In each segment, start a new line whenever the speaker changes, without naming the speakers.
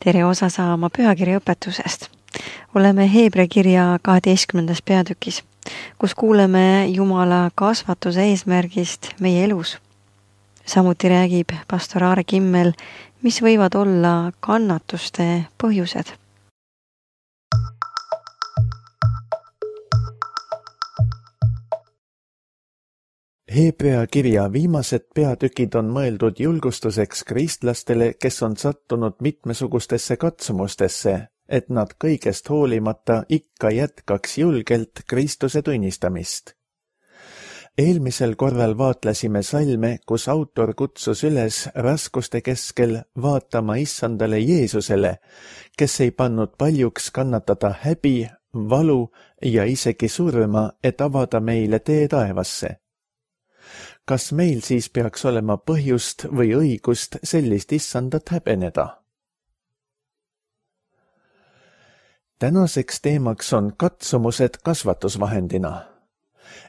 tere osa saama pühakirja õpetusest. Oleme Heebrea kirja 12. peatükis, kus kuuleme Jumala kasvatuse eesmärgist meie elus. Samuti räägib pastor Aare Kimmel, mis võivad olla kannatuste põhjused.
Heebrea kirja viimased peatükid on mõeldud julgustuseks kristlastele, kes on sattunud mitmesugustesse katsumustesse, et nad kõigest hoolimata ikka jätkaks julgelt Kristuse tunnistamist. Eelmisel korral vaatlesime salme, kus autor kutsus üles raskuste keskel vaatama issandale Jeesusele, kes ei pannud paljuks kannatada häbi, valu ja isegi surma, et avada meile tee taevasse. Kas meil siis peaks olema põhjust või õigust sellist issandat häbeneda? Tänaseks teemaks on katsumused kasvatusvahendina.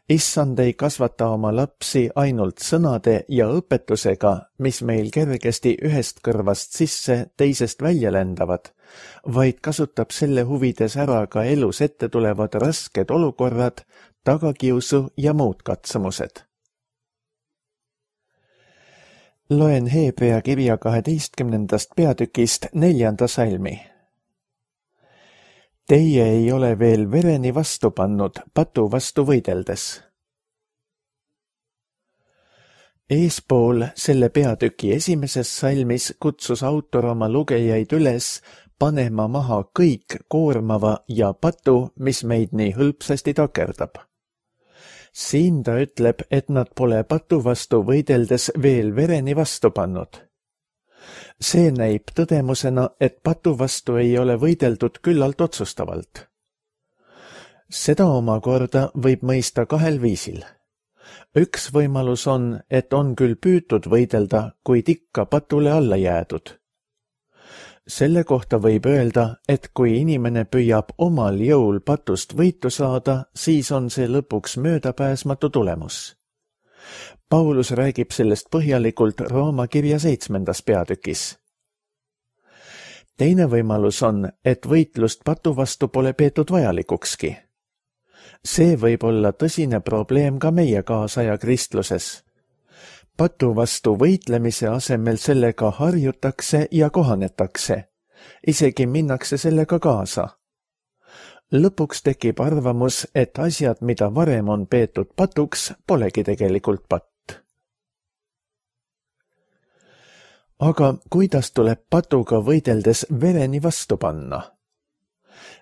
Issand ei kasvata oma lapsi ainult sõnade ja õpetusega, mis meil kergesti ühest kõrvast sisse, teisest välja lendavad, vaid kasutab selle huvides ära ka elus ette tulevad rasked olukorrad, tagakiusu ja muud katsumused. Loen Heebrea kirja 12. peatükist 4. salmi. Teie ei ole veel vereni vastu pannud, patu vastu võideldes. Eespool selle peatüki esimeses salmis kutsus autor oma lugejaid üles panema maha kõik koormava ja patu, mis meid nii hõlpsasti takerdab. Siin ta ütleb, et nad pole patu vastu võideldes veel vereni vastu pannud. See näib tõdemusena, et patu vastu ei ole võideldud küllalt otsustavalt. Seda omakorda võib mõista kahel viisil. Üks võimalus on, et on küll püütud võidelda, kuid ikka patule alla jäädud. Selle kohta võib öelda, et kui inimene püüab omal jõul patust võitu saada, siis on see lõpuks möödapääsmatu tulemus. Paulus räägib sellest põhjalikult Rooma kirja 7. peatükis. Teine võimalus on, et võitlust patu vastu pole peetud vajalikukski. See võib olla tõsine probleem ka meie kaasaja kristluses. Patu vastu võitlemise asemel sellega harjutakse ja kohanetakse. Isegi minnakse sellega kaasa. Lõpuks tekib arvamus, et asjad, mida varem on peetud patuks, polegi tegelikult patt. Aga kuidas tuleb patuga võideldes vereni vastu panna?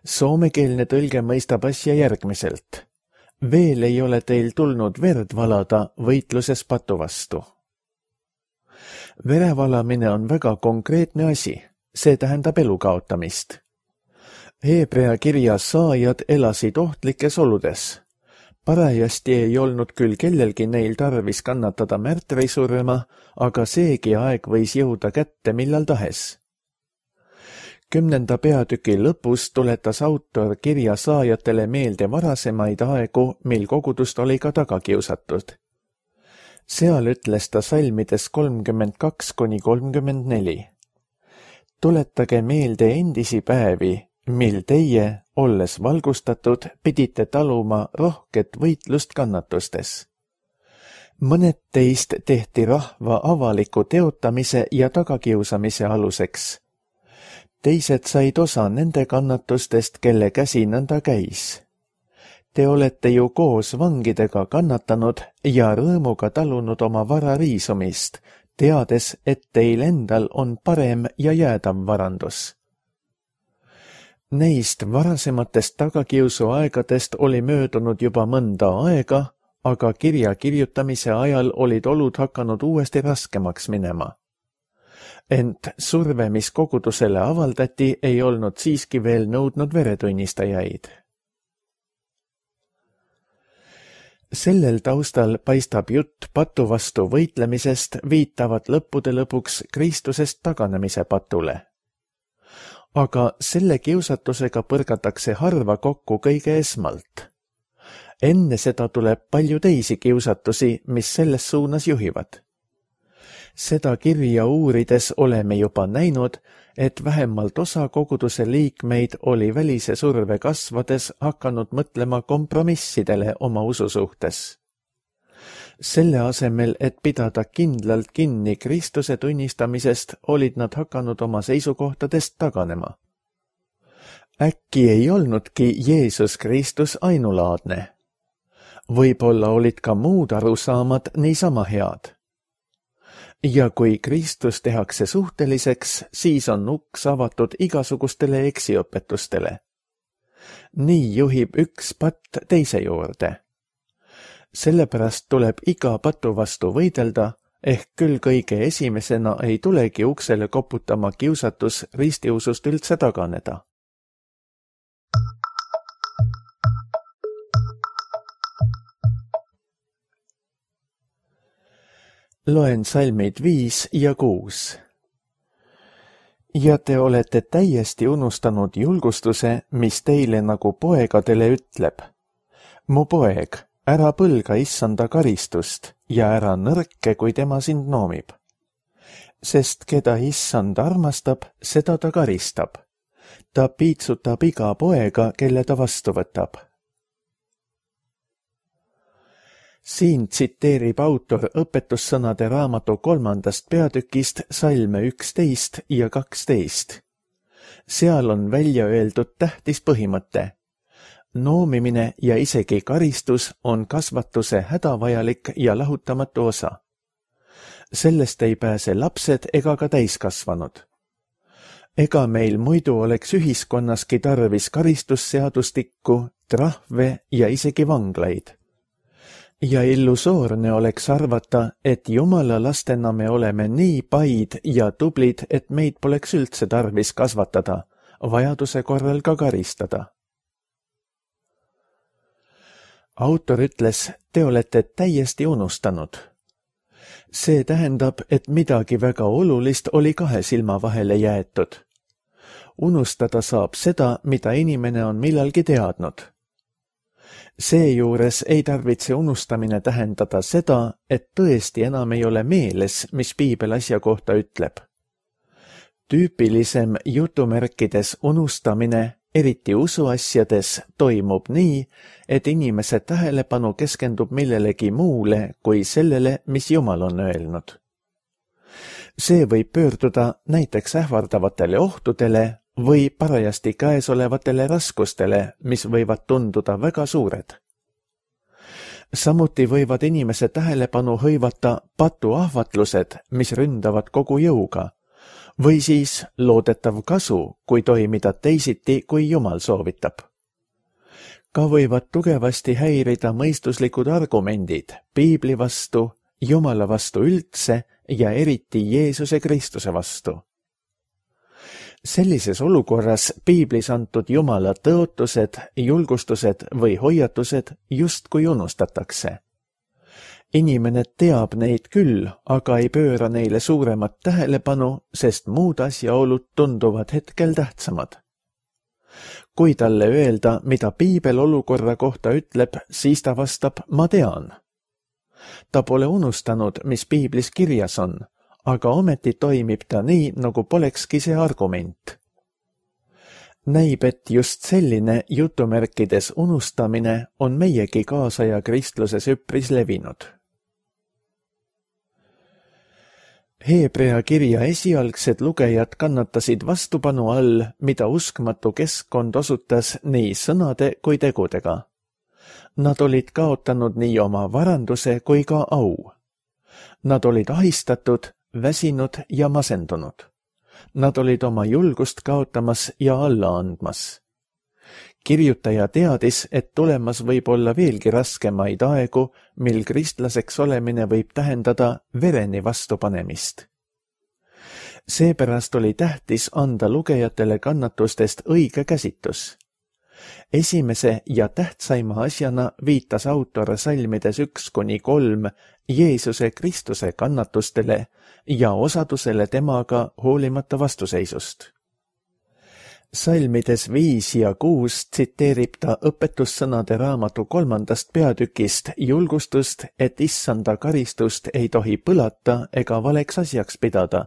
Soomekeelne tõlge mõistab asja järgmiselt. Veel ei ole teil tulnud verd valada võitluses patu vastu. Verevalamine on väga konkreetne asi, see tähendab elu kaotamist. Heebrea kirja saajad elasid ohtlikes oludes. Parajasti ei olnud küll kellelgi neil tarvis kannatada märtrisurma, aga seegi aeg võis jõuda kätte millal tahes. 10. peatüki lõpus tuletas autor kirja saajatele meelde varasemaid aegu, mil kogudust oli ka tagakiusatud. Seal ütles ta salmides 32–34. Tuletage meelde endisi päevi, mil teie, olles valgustatud, pidite taluma rohket võitlust kannatustes. Mõned teist tehti rahva avaliku teotamise ja tagakiusamise aluseks. Teised said osa nende kannatustest, kelle käsi nõnda käis. Te olete ju koos vangidega kannatanud ja rõõmuga talunud oma vara riisumist, teades, et teil endal on parem ja jäädav varandus. Neist varasematest tagakiusu aegadest oli möödunud juba mõnda aega, aga kirja kirjutamise ajal olid olud hakanud uuesti raskemaks minema. Ent surve, mis kogudusele avaldati, ei olnud siiski veel nõudnud veretunnistajaid. Sellel taustal paistab jutt patu vastu võitlemisest viitavat lõppude lõpuks Kristusest taganemise patule. Aga selle kiusatusega põrgatakse harva kokku kõige esmalt. Enne seda tuleb palju teisi kiusatusi, mis selles suunas juhivad. Seda kirja uurides oleme juba näinud, et vähemalt osa koguduse liikmeid oli välise surve kasvades hakanud mõtlema kompromissidele oma usu suhtes. Selle asemel, et pidada kindlalt kinni Kristuse tunnistamisest, olid nad hakanud oma seisukohtadest taganema. Äkki ei olnudki Jeesus Kristus ainulaadne. Võib-olla olid ka muud arusaamad niisama head. Ja kui Kristus tehakse suhteliseks, siis on uks avatud igasugustele eksiõpetustele. Nii juhib üks patt teise juurde. Sellepärast tuleb iga patu vastu võidelda, ehk küll kõige esimesena ei tulegi uksele koputama kiusatus ristiusust üldse taganeda. Loen salmid 5 ja 6. Ja te olete täiesti unustanud julgustuse, mis teile nagu poegadele ütleb. Mu poeg, ära põlga issanda karistust ja ära nõrke, kui tema sind noomib. Sest keda issand armastab, seda ta karistab. Ta piitsutab iga poega, kelle ta vastu võtab. Siin tsiteerib autor õpetussõnade raamatu 3. peatükist salme 11 ja 12. Seal on välja öeldud tähtis põhimõte. Noomimine ja isegi karistus on kasvatuse hädavajalik ja lahutamatu osa. Sellest ei pääse lapsed ega ka täiskasvanud. Ega meil muidu oleks ühiskonnaski tarvis karistusseadustikku, trahve ja isegi vanglaid. Ja illusoorne oleks arvata, et Jumala lastena me oleme nii paid ja tublid, et meid poleks üldse tarvis kasvatada, vajaduse korral ka karistada. Autor ütles, te olete täiesti unustanud. See tähendab, et midagi väga olulist oli kahe silma vahele jäetud. Unustada saab seda, mida inimene on millalgi teadnud. Seejuures ei tarvitse unustamine tähendada seda, et tõesti enam ei ole meeles, mis piibel asja kohta ütleb. Tüüpilisem jutumärkides unustamine, eriti usuasjades, toimub nii, et inimese tähelepanu keskendub millelegi muule kui sellele, mis Jumal on öelnud. See võib pöörduda näiteks ähvardavatele ohtudele või parajasti käesolevatele raskustele, mis võivad tunduda väga suured. Samuti võivad inimese tähelepanu hõivata patuahvatlused, mis ründavad kogu jõuga, või siis loodetav kasu, kui toimida teisiti, kui Jumal soovitab. Ka võivad tugevasti häirida mõistuslikud argumendid piibli vastu, Jumala vastu üldse ja eriti Jeesuse Kristuse vastu. Sellises olukorras piiblis antud Jumala tõotused, julgustused või hoiatused justkui unustatakse. Inimene teab neid küll, aga ei pööra neile suuremat tähelepanu, sest muud asjaolud tunduvad hetkel tähtsamad. Kui talle öelda, mida piibel olukorra kohta ütleb, siis ta vastab, ma tean. Ta pole unustanud, mis piiblis kirjas on, aga ometi toimib ta nii, nagu polekski see argument. Näib, et just selline jutumärkides unustamine on meiegi kaasaja kristluses üpris levinud. Heebrea kirja esialgsed lugejad kannatasid vastupanu all, mida uskmatu keskkond osutas nii sõnade kui tegudega. Nad olid kaotanud nii oma varanduse kui ka au. Nad olid ahistatud, väsinud ja masendunud. Nad olid oma julgust kaotamas ja alla andmas. Kirjutaja teadis, et tulemas võib olla veelgi raskemaid aegu, mil kristlaseks olemine võib tähendada vereni vastupanemist. Seepärast oli tähtis anda lugejatele kannatustest õige käsitus. Esimese ja tähtsaima asjana viitas autor salmides 1-3 Jeesuse Kristuse kannatustele ja osadusele temaga hoolimata vastuseisust. Salmides 5 ja 6 tsiteerib ta õpetussõnade raamatu 3. peatükist julgustust, et issanda karistust ei tohi põlata ega valeks asjaks pidada,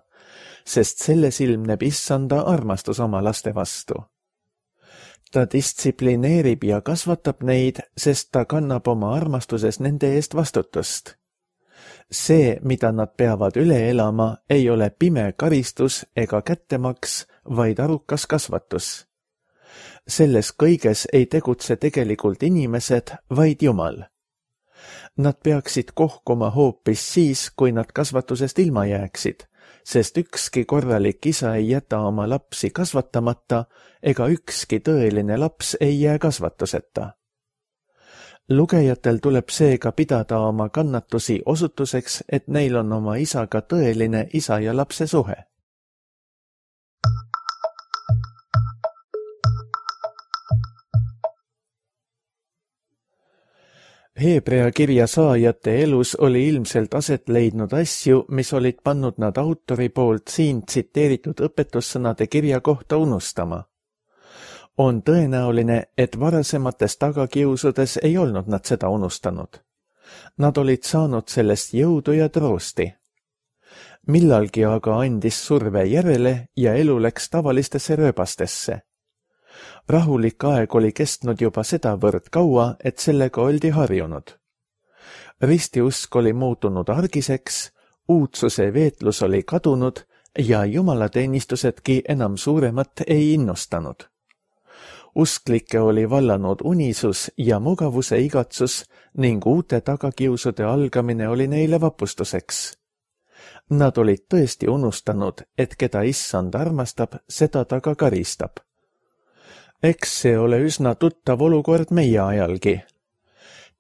sest selles ilmneb issanda armastus oma laste vastu. Ta distsiplineerib ja kasvatab neid, sest ta kannab oma armastuses nende eest vastutust. See, mida nad peavad üle elama, ei ole pime karistus ega kättemaks, vaid arukas kasvatus. Selles kõiges ei tegutse tegelikult inimesed, vaid Jumal. Nad peaksid kohkuma hoopis siis, kui nad kasvatusest ilma jääksid, sest ükski korralik isa ei jäta oma lapsi kasvatamata ega ükski tõeline laps ei jää kasvatuseta. Lugejatel tuleb seega pidada oma kannatusi osutuseks, et neil on oma isaga tõeline isa ja lapse suhe. Heebrea kirja saajate elus oli ilmselt aset leidnud asju, mis olid pannud nad autori poolt siin tsiteeritud õpetussõnade kirja kohta unustama. On tõenäoline, et varasemates tagakiusudes ei olnud nad seda unustanud. Nad olid saanud sellest jõudu ja troosti. Millalgi aga andis surve järele ja elu läks tavalistesse rööbastesse. Rahulik aeg oli kestnud juba sedavõrd kaua, et sellega oldi harjunud. Ristiusk oli muutunud argiseks, uudsuse veetlus oli kadunud ja jumalateenistusedki enam suuremat ei innustanud. Usklikke oli vallanud unisus ja mugavuse igatsus ning uute tagakiusude algamine oli neile vapustuseks. Nad olid tõesti unustanud, et keda issand armastab, seda ta ka karistab. Eks see ole üsna tuttav olukord meie ajalgi.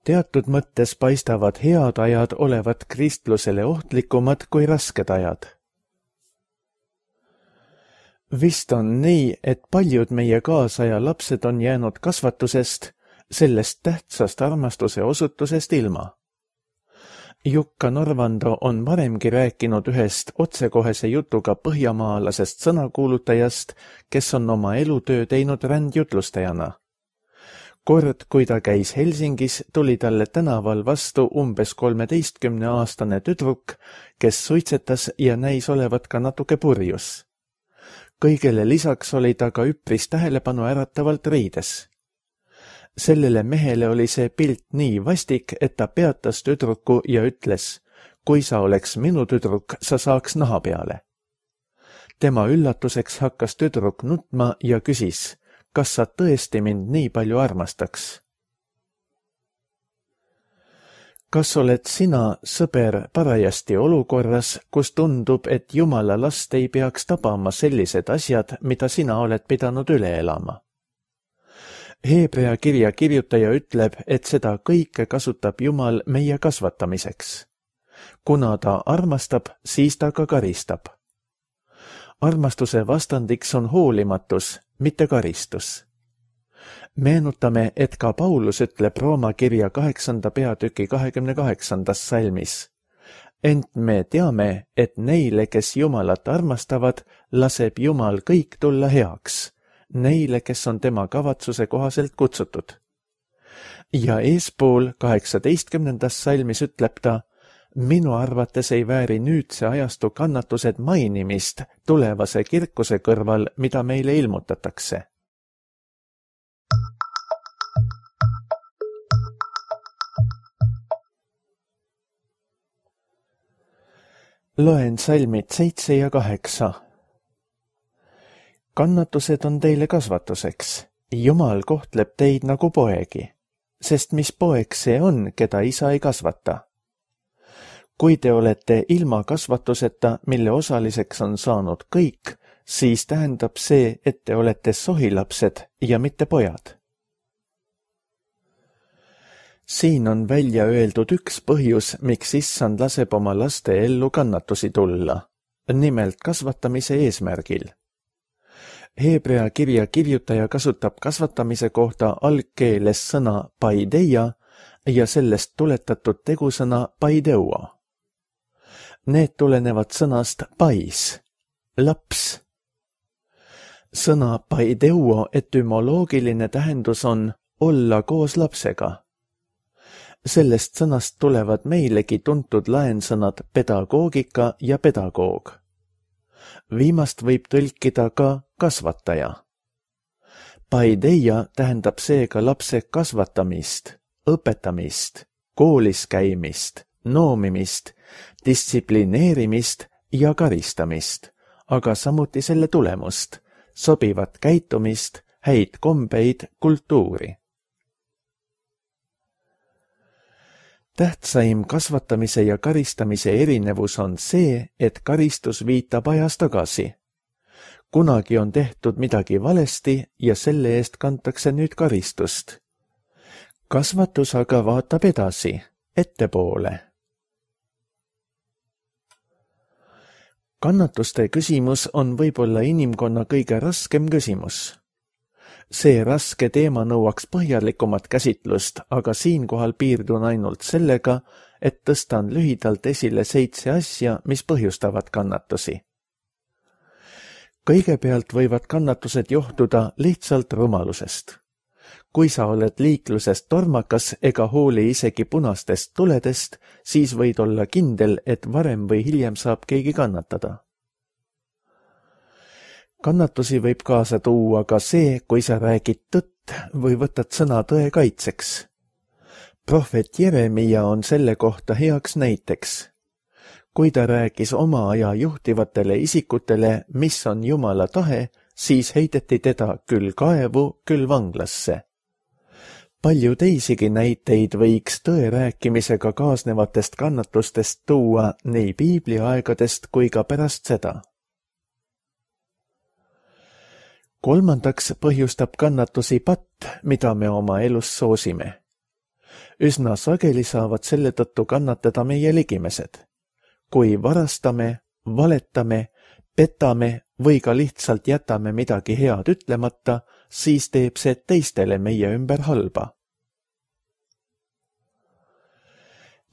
Teatud mõttes paistavad head ajad olevat kristlusele ohtlikumad kui rasked ajad. Vist on nii, et paljud meie kaasaja lapsed on jäänud kasvatusest, sellest tähtsast armastuse osutusest ilma. Jukka Norvando on varemgi rääkinud ühest otsekohese jutuga põhjamaalasest sõnakuulutajast, kes on oma elutöö teinud rändjutlustajana. Kord, kui ta käis Helsingis, tuli talle tänaval vastu umbes 13-aastane tüdruk, kes suitsetas ja näis olevat ka natuke purjus. Kõigele lisaks oli ta ka üpris tähelepanu äratavalt riides. Sellele mehele oli see pilt nii vastik, et ta peatas tüdruku ja ütles, kui sa oleks minu tüdruk, sa saaks naha peale. Tema üllatuseks hakkas tüdruk nutma ja küsis, kas sa tõesti mind nii palju armastaks? Kas oled sina, sõber, parajasti olukorras, kus tundub, et Jumala last ei peaks tabama sellised asjad, mida sina oled pidanud üle elama? Heebrea kirja kirjutaja ütleb, et seda kõike kasutab Jumal meie kasvatamiseks. Kuna ta armastab, siis ta ka karistab. Armastuse vastandiks on hoolimatus, mitte karistus. Meenutame, et ka Paulus ütleb Rooma kirja 8. peatüki 28. salmis. Ent me teame, et neile, kes Jumalat armastavad, laseb Jumal kõik tulla heaks, neile, kes on tema kavatsuse kohaselt kutsutud. Ja eespool 18. salmis ütleb ta, minu arvates ei vääri nüüdse ajastu kannatused mainimist tulevase kirkuse kõrval, mida meile ilmutatakse. Loen salmid 7 ja 8. Kannatused on teile kasvatuseks. Jumal kohtleb teid nagu poegi, sest mis poeg see on, keda isa ei kasvata? Kui te olete ilma kasvatuseta, mille osaliseks on saanud kõik, siis tähendab see, et te olete sohilapsed ja mitte pojad. Siin on välja öeldud üks põhjus, miks issand laseb oma laste ellu kannatusi tulla, nimelt kasvatamise eesmärgil. Heebrea kirja kirjutaja kasutab kasvatamise kohta algkeeles sõna paideia ja sellest tuletatud tegusõna paideuo. Need tulenevad sõnast pais, laps. Sõna paideuo etümoloogiline tähendus on olla koos lapsega. Sellest sõnast tulevad meilegi tuntud laensõnad pedagoogika ja pedagoog. Viimast võib tõlkida ka kasvataja. Paideia tähendab seega lapse kasvatamist, õpetamist, koolis käimist, noomimist, distsiplineerimist ja karistamist, aga samuti selle tulemust, sobivat käitumist, häid kombeid, kultuuri. Tähtsaim kasvatamise ja karistamise erinevus on see, et karistus viitab ajas tagasi. Kunagi on tehtud midagi valesti ja selle eest kantakse nüüd karistust. Kasvatus aga vaatab edasi, ettepoole. Kannatuste küsimus on võib-olla inimkonna kõige raskem küsimus. See raske teema nõuaks põhjalikumat käsitlust, aga siinkohal piirdun ainult sellega, et tõstan lühidalt esile 7 asja, mis põhjustavad kannatusi. Kõigepealt võivad kannatused johtuda lihtsalt rumalusest. Kui sa oled liiklusest tormakas ega hooli isegi punastest tuledest, siis võid olla kindel, et varem või hiljem saab keegi kannatada. Kannatusi võib kaasa tuua ka see, kui sa räägid tõtt või võtad sõna tõe kaitseks. Prohvet Jeremia on selle kohta heaks näiteks. Kui ta rääkis oma aja juhtivatele isikutele, mis on Jumala tahe, siis heideti teda küll kaevu, küll vanglasse. Palju teisigi näiteid võiks tõe rääkimisega kaasnevatest kannatustest tuua nii piibliaegadest kui ka pärast seda. Kolmandaks põhjustab kannatusi patt, mida me oma elus soosime. Üsna sageli saavad selle tõttu kannatada meie ligimesed. Kui varastame, valetame, petame või ka lihtsalt jätame midagi head ütlemata, siis teeb see teistele meie ümber halba.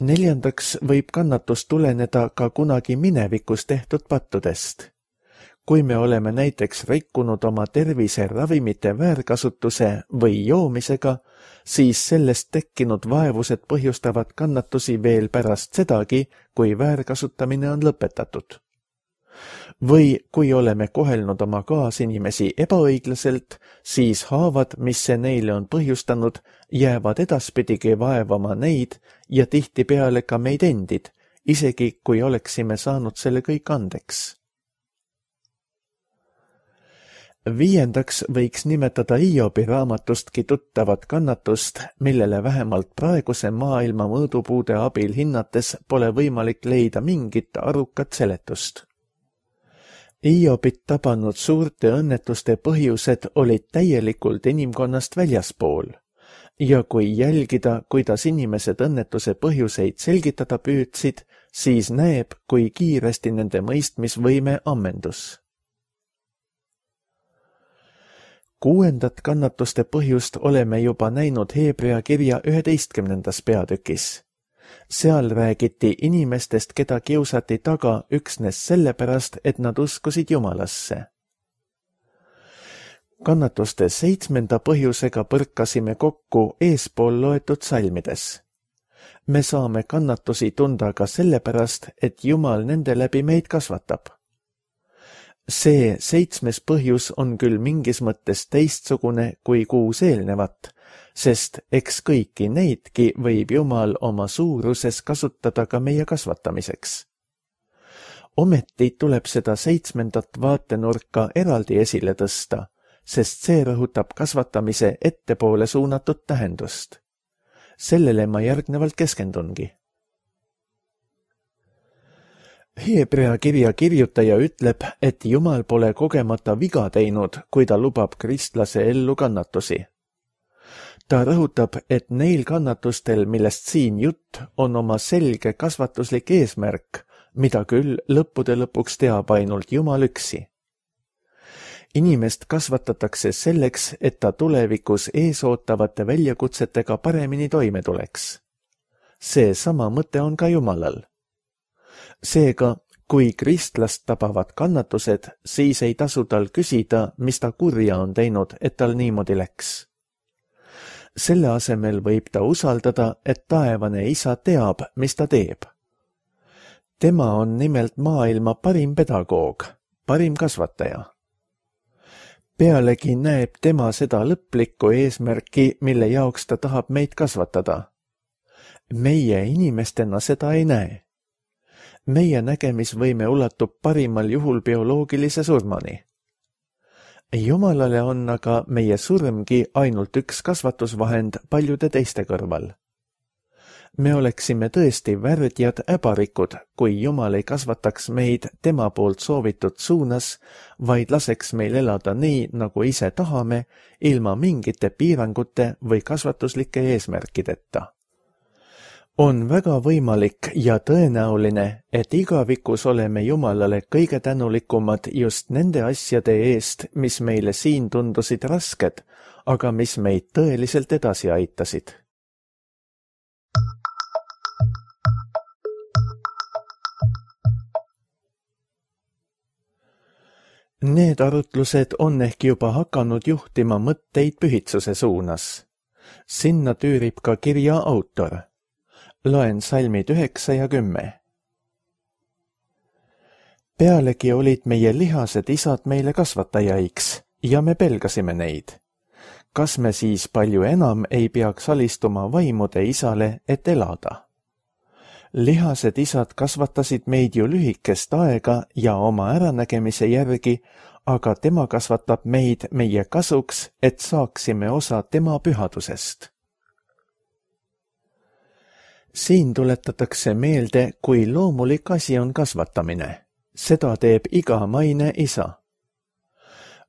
Neljandaks võib kannatus tuleneda ka kunagi minevikus tehtud pattudest. Kui me oleme näiteks rikkunud oma tervise ravimite väärkasutuse või joomisega, siis sellest tekkinud vaevused põhjustavad kannatusi veel pärast sedagi, kui väärkasutamine on lõpetatud. Või kui oleme kohelnud oma kaasinimesi ebaõiglaselt, siis haavad, mis see neile on põhjustanud, jäävad edaspidigi vaevama neid ja tihtipeale ka meid endid, isegi kui oleksime saanud selle kõik andeks. Viiendaks võiks nimetada Hiobi raamatustki tuttavat kannatust, millele vähemalt praeguse maailma mõõdupuude abil hinnates pole võimalik leida mingit arukat seletust. Hiobit tabanud suurte õnnetuste põhjused olid täielikult inimkonnast väljaspool ja kui jälgida, kuidas inimesed õnnetuse põhjuseid selgitada püüdsid, siis näeb, kui kiiresti nende mõistmisvõime ammendus. Kuuendat kannatuste põhjust oleme juba näinud Heebrea kirja 11. peatükis. Seal räägiti inimestest, keda kiusati taga üksnes sellepärast, et nad uskusid Jumalasse. Kannatuste 7. põhjusega põrkasime kokku eespool loetud salmides. Me saame kannatusi tunda ka sellepärast, et Jumal nende läbi meid kasvatab. See 7. põhjus on küll mingis mõttes teistsugune kui 6 eelnevat, sest eks kõiki neidki võib Jumal oma suuruses kasutada ka meie kasvatamiseks. Ometi tuleb seda 7. vaatenurka eraldi esile tõsta, sest see rõhutab kasvatamise ettepoole suunatud tähendust. Sellele ma järgnevalt keskendungi. Heebrea kirja kirjutaja ütleb, et Jumal pole kogemata viga teinud, kui ta lubab kristlase ellu kannatusi. Ta rõhutab, et neil kannatustel, millest siin jutt, on oma selge kasvatuslik eesmärk, mida küll lõppude lõpuks teab ainult Jumal üksi. Inimest kasvatatakse selleks, et ta tulevikus eesootavate väljakutsetega paremini toime tuleks. See sama mõte on ka Jumalal. Seega, kui kristlast tabavad kannatused, siis ei tasu tal küsida, mis ta kurja on teinud, et tal niimoodi läks. Selle asemel võib ta usaldada, et taevane isa teab, mis ta teeb. Tema on nimelt maailma parim pedagoog, parim kasvataja. Pealegi näeb tema seda lõplikku eesmärki, mille jaoks ta tahab meid kasvatada. Meie inimestena seda ei näe. Meie nägemisvõime ulatub parimal juhul bioloogilise surmani. Jumalale on aga meie surmgi ainult üks kasvatusvahend paljude teiste kõrval. Me oleksime tõesti värdjad äbarikud, kui Jumal ei kasvataks meid tema poolt soovitud suunas, vaid laseks meil elada nii, nagu ise tahame, ilma mingite piirangute või kasvatuslike eesmärkideta. On väga võimalik ja tõenäoline, et igavikus oleme Jumalale kõige tänulikumad just nende asjade eest, mis meile siin tundusid rasked, aga mis meid tõeliselt edasi aitasid. Need arutlused on ehk juba hakanud juhtima mõtteid pühitsuse suunas. Sinna tüürib ka kirja autor. Loen salmid 9 ja 10. Pealegi olid meie lihased isad meile kasvatajaiks ja me pelgasime neid. Kas me siis palju enam ei peaks alistuma vaimude isale, et elada? Lihased isad kasvatasid meid ju lühikest aega ja oma äranägemise järgi, aga tema kasvatab meid meie kasuks, et saaksime osa tema pühadusest. Siin tuletatakse meelde, kui loomulik asi on kasvatamine. Seda teeb iga maine isa.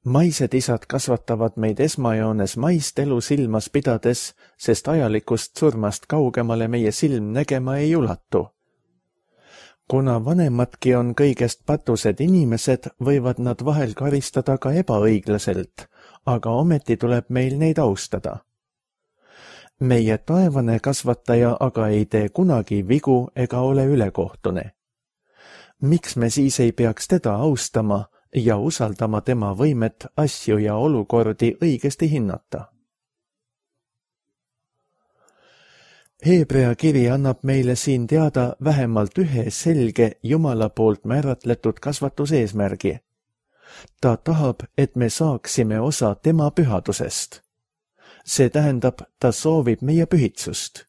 Maised isad kasvatavad meid esmajoones maist elu silmas pidades, sest ajalikust surmast kaugemale meie silm nägema ei ulatu. Kuna vanemadki on kõigest patused inimesed, võivad nad vahel karistada ka ebaõiglaselt, aga ometi tuleb meil neid austada. Meie taevane kasvataja aga ei tee kunagi vigu ega ole ülekohtune. Miks me siis ei peaks teda austama ja usaldama tema võimet asju ja olukordi õigesti hinnata? Heebrea kiri annab meile siin teada vähemalt ühe selge Jumala poolt määratletud kasvatuseesmärgi. Ta tahab, et me saaksime osa tema pühadusest. See tähendab, ta soovib meie pühitsust.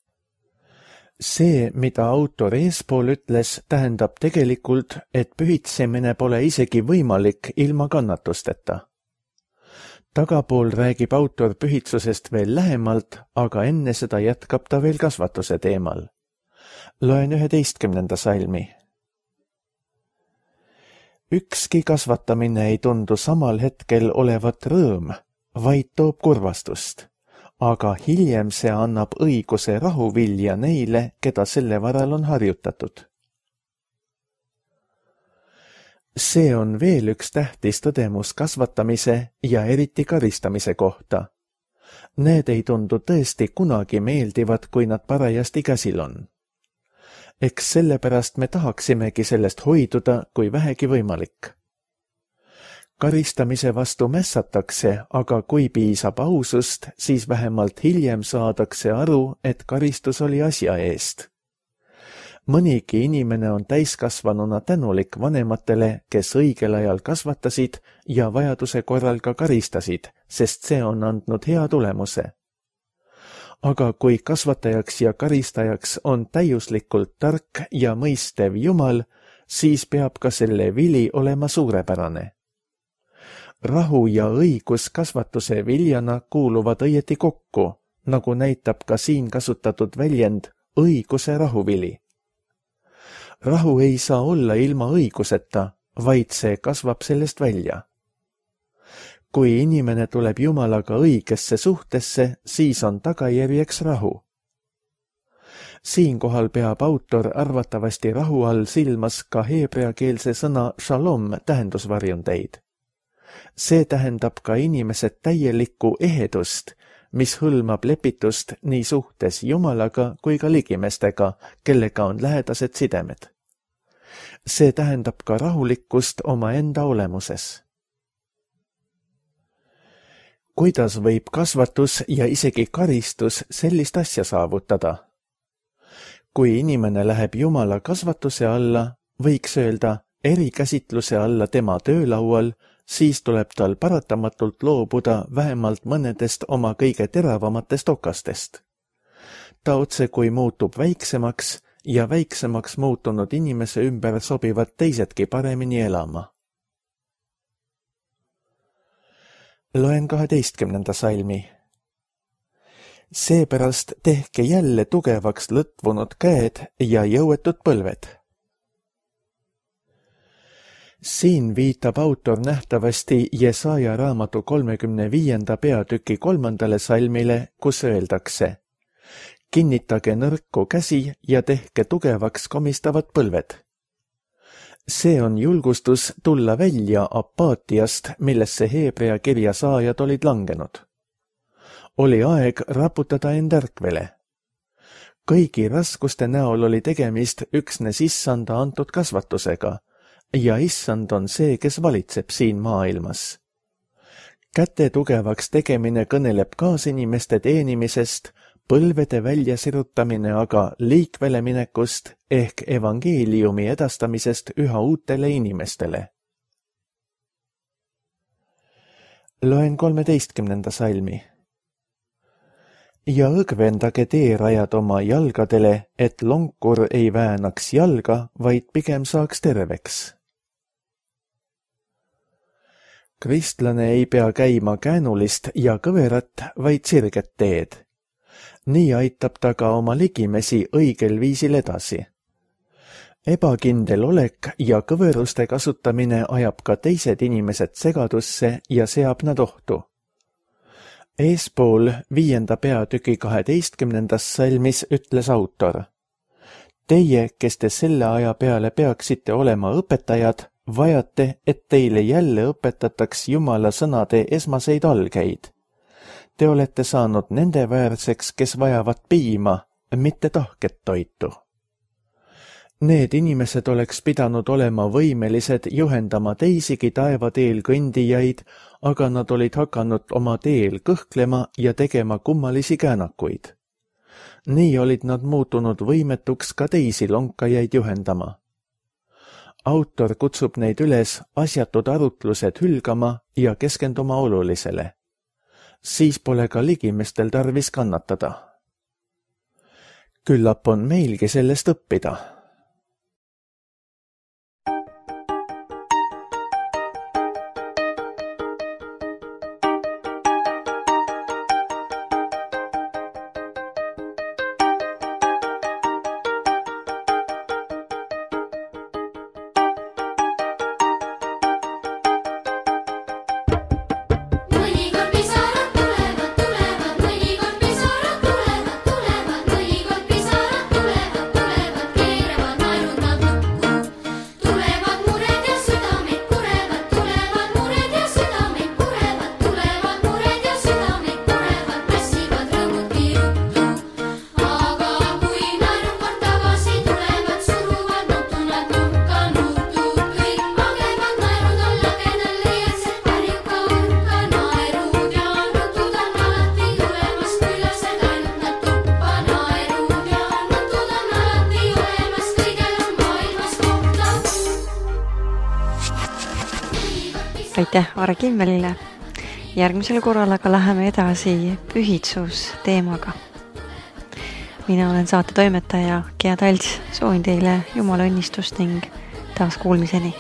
See, mida autor eespool ütles, tähendab tegelikult, et pühitsemine pole isegi võimalik ilma kannatusteta. Tagapool räägib autor pühitsusest veel lähemalt, aga enne seda jätkab ta veel kasvatuse teemal. Loen 11. salmi. Ükski kasvatamine ei tundu samal hetkel olevat rõõm, vaid toob kurvastust. Aga hiljem see annab õiguse rahuvilja neile, keda selle varal on harjutatud. See on veel üks tähtis tõdemus kasvatamise ja eriti karistamise kohta. Need ei tundu tõesti kunagi meeldivad, kui nad parajasti käsil on. Eks sellepärast me tahaksimegi sellest hoiduda, kui vähegi võimalik. Karistamise vastu mässatakse, aga kui piisab ausust, siis vähemalt hiljem saadakse aru, et karistus oli asja eest. Mõnigi inimene on täiskasvanuna tänulik vanematele, kes õigel ajal kasvatasid ja vajaduse korral ka karistasid, sest see on andnud hea tulemuse. Aga kui kasvatajaks ja karistajaks on täiuslikult tark ja mõistev Jumal, siis peab ka selle vili olema suurepärane. Rahu ja õigus kasvatuse viljana kuuluvad õieti kokku, nagu näitab ka siin kasutatud väljend õiguse rahuvili. Rahu ei saa olla ilma õiguseta, vaid see kasvab sellest välja. Kui inimene tuleb Jumalaga õigesse suhtesse, siis on tagajärjeks rahu. Siinkohal peab autor arvatavasti rahu all silmas ka heebreakeelse sõna shalom tähendusvarjundeid. See tähendab ka inimese täielikku ehedust, mis hõlmab lepitust nii suhtes Jumalaga kui ka ligimestega, kellega on lähedased sidemed. See tähendab ka rahulikkust omaenda olemuses. Kuidas võib kasvatus ja isegi karistus sellist asja saavutada? Kui inimene läheb Jumala kasvatuse alla, võiks öelda, erikäsitluse alla tema töölaual, siis tuleb tal paratamatult loobuda vähemalt mõnedest oma kõige teravamatest okastest. Ta otsekui muutub väiksemaks ja väiksemaks muutunud inimese ümber sobivad teisedki paremini elama. Loen 12. salmi. Seepärast tehke jälle tugevaks lõtvunud käed ja jõuetud põlved. Siin viitab autor nähtavasti Jesaja raamatu 35. peatüki 3. salmile, kus öeldakse: kinnitage nõrku käsi ja tehke tugevaks komistavad põlved. See on julgustus tulla välja apaatiast, millesse Heebrea kirja saajad olid langenud. Oli aeg raputada end ärkvele. Kõigi raskuste näol oli tegemist üksnes issanda antud kasvatusega ja issand on see, kes valitseb siin maailmas. Käte tugevaks tegemine kõneleb kaasinimeste teenimisest, põlvede väljasirutamine aga liikvele minekust ehk evangeeliumi edastamisest üha uutele inimestele. Loen 13. salmi. Ja õgvendage teerajad oma jalgadele, et lonkur ei väänaks jalga, vaid pigem saaks terveks. Kristlane ei pea käima käänulist ja kõverat, vaid sirget teed. Nii aitab ta ka oma ligimesi õigel viisil edasi. Ebakindel olek ja kõveruste kasutamine ajab ka teised inimesed segadusse ja seab nad ohtu. Eespool 5. peatüki 12. salmis ütles autor: teie, kes te selle aja peale peaksite olema õpetajad, vajate, et teile jälle õpetataks Jumala sõnade esmaseid algeid. Te olete saanud nende väärseks, kes vajavad piima, mitte tahket toitu. Need inimesed oleks pidanud olema võimelised juhendama teisigi taevateel kõndijaid, aga nad olid hakanud oma teel kõhklema ja tegema kummalisi käänakuid. Nii olid nad muutunud võimetuks ka teisi lonkajaid juhendama. Autor kutsub neid üles asjatud arutlused hülgama ja keskenduma olulisele. Siis pole ka ligimestel tarvis kannatada. Küllap on meilgi sellest õppida.
Aitäh Aare Kimmelile. Järgmisel korral aga läheme edasi pühitsus teemaga. Mina olen saate toimetaja Gea Talts. Soovin teile Jumala õnnistust ning taas kuulmiseni.